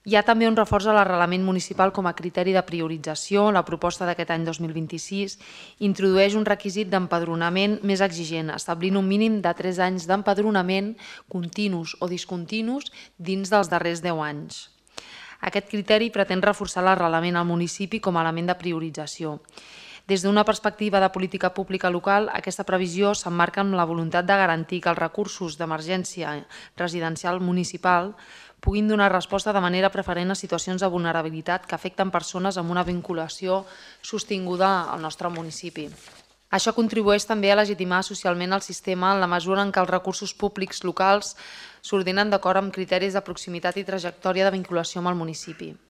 Hi ha també un reforç a l'arrelament municipal com a criteri de priorització. La proposta d'aquest any 2026 introdueix un requisit d'empadronament més exigent, establint un mínim de 3 anys d'empadronament continus o discontinus dins dels darrers 10 anys. Aquest criteri pretén reforçar l'arrelament al municipi com a element de priorització. Des d'una perspectiva de política pública local, aquesta previsió s'emmarca en la voluntat de garantir que els recursos d'emergència residencial municipal puguin donar resposta de manera preferent a situacions de vulnerabilitat que afecten persones amb una vinculació sostinguda al nostre municipi. Això contribueix també a legitimar socialment el sistema en la mesura en què els recursos públics locals s'ordenen d'acord amb criteris de proximitat i trajectòria de vinculació amb el municipi.